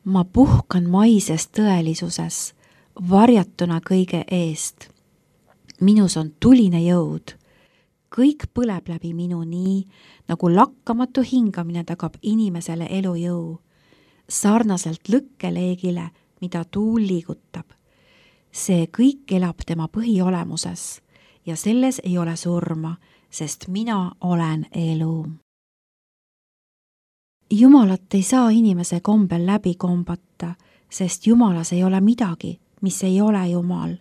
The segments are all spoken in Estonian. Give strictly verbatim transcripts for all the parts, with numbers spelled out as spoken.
Ma puhkan maises tõelisuses, varjatuna kõige eest. Minus on tuline jõud. Kõik põleb läbi minu nii, nagu lakkamatu hingamine tagab inimesele elujõu. Sarnaselt lõkkeleegile, mida tuul liigutab. See kõik elab tema põhiolemuses ja selles ei ole surma, sest mina olen elu. Jumalat ei saa inimese kombel läbi kombata, sest Jumalas ei ole midagi, mis ei ole Jumal.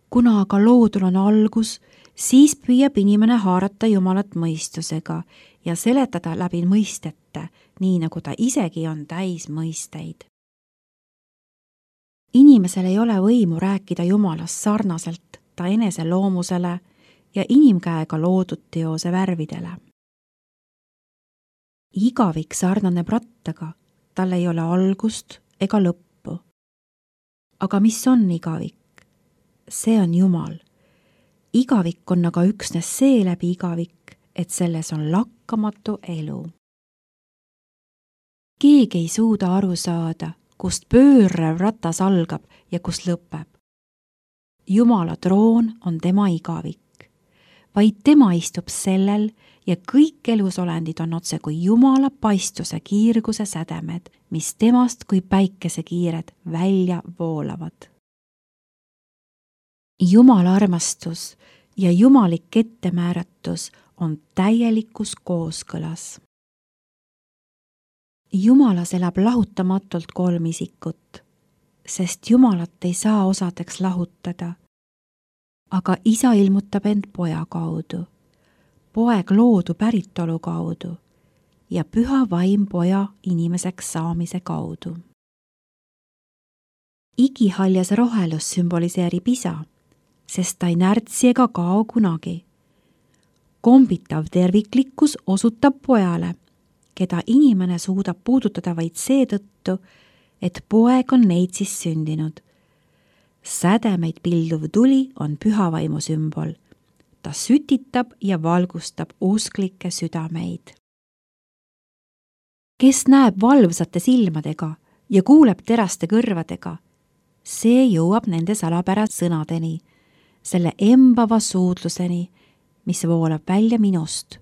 Kuna aga loodul on algus, siis püüab inimene haarata Jumalat mõistusega ja seletada läbi mõistete, nii nagu ta isegi on täis mõisteid. Inimesel ei ole võimu rääkida Jumalast sarnaselt ta enese loomusele ja inimkäega loodud teose värvidele. Igavik sarnaneb rattaga, tal ei ole algust ega lõppu. Aga mis on igavik? See on Jumal. Igavik on aga üksnes see läbi igavik, et selles on lakkamatu elu. Keegi ei suuda aru saada, kust pöörrev ratas algab ja kust lõpeb. Jumala troon on tema igavik. Vaid tema istub sellel ja kõik elusolendid on otse kui Jumala paistuse kiirguse sädemed, mis temast kui päikese kiired välja voolavad. Jumala armastus ja jumalik ettemääratus on täielikus kooskõlas. Jumalas elab lahutamatult kolm isikut, sest Jumalat ei saa osadeks lahutada. Aga isa ilmutab end poja kaudu, poeg loodu päritolu kaudu ja püha vaim poja inimeseks saamise kaudu. Igihaljas rohelus sümboliseerib isa, sest ta ei närtsi ega kao kunagi. Kombitav terviklikkus osutab pojale, keda inimene suudab puudutada vaid seetõttu, et poeg on neitsis sündinud. Sädemeid pilduv tuli on pühavaimu sümbol. Ta sütitab ja valgustab usklikke südameid. Kes näeb valvsate silmadega ja kuuleb teraste kõrvadega, see jõuab nende salapära sõnadeni, selle embava suudluseni, mis voolab välja minust,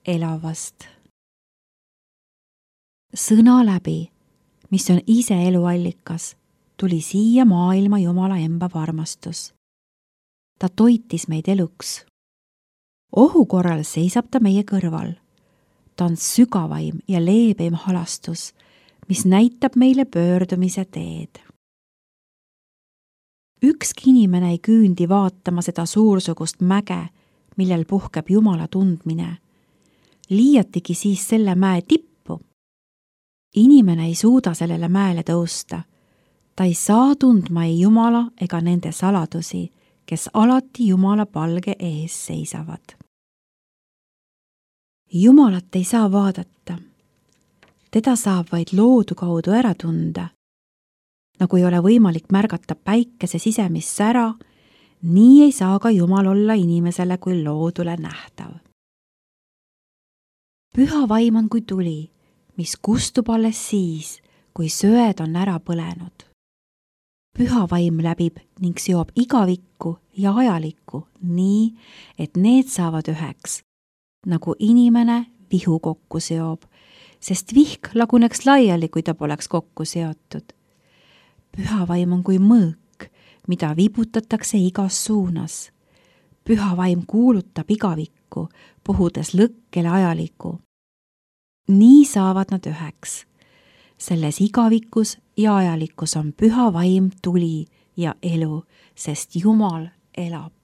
elavast. Sõna läbi, mis on ise eluallikas, tuli siia maailma Jumala embav armastus. Ta toitis meid eluks. Ohu korral seisab ta meie kõrval. Ta on sügavaim ja leebeim halastus, mis näitab meile pöördumise teed. Ükski inimene ei küündi vaatama seda suursugust mäge, millel puhkeb Jumala tundmine. Liiatigi siis selle mäe tippu. Inimene ei suuda sellele mäele tõusta. Ta ei saa tundma ei Jumala ega nende saladusi, kes alati Jumala palge ees seisavad. Jumalat ei saa vaadata. Teda saab vaid loodu kaudu ära tunda. Nagu ei ole võimalik märgata päikese sisemist sära, nii ei saa ka Jumal olla inimesele kui loodule nähtav. Püha vaim on kui tuli, mis kustub alles siis, kui söed on ära põlenud. Püha vaim läbib ning seob igavikku ja ajalikku nii, et need saavad üheks, nagu inimene vihu kokku seob, sest vihk laguneks laiali, kui ta poleks kokku seotud. Püha vaim on kui mõõk, mida vibutatakse igas suunas. Püha vaim kuulutab igavikku, puhudes lõkkele ajalikku. Nii saavad nad üheks. Selles igavikus ja ajalikkus on püha vaim tuli ja elu, sest Jumal elab.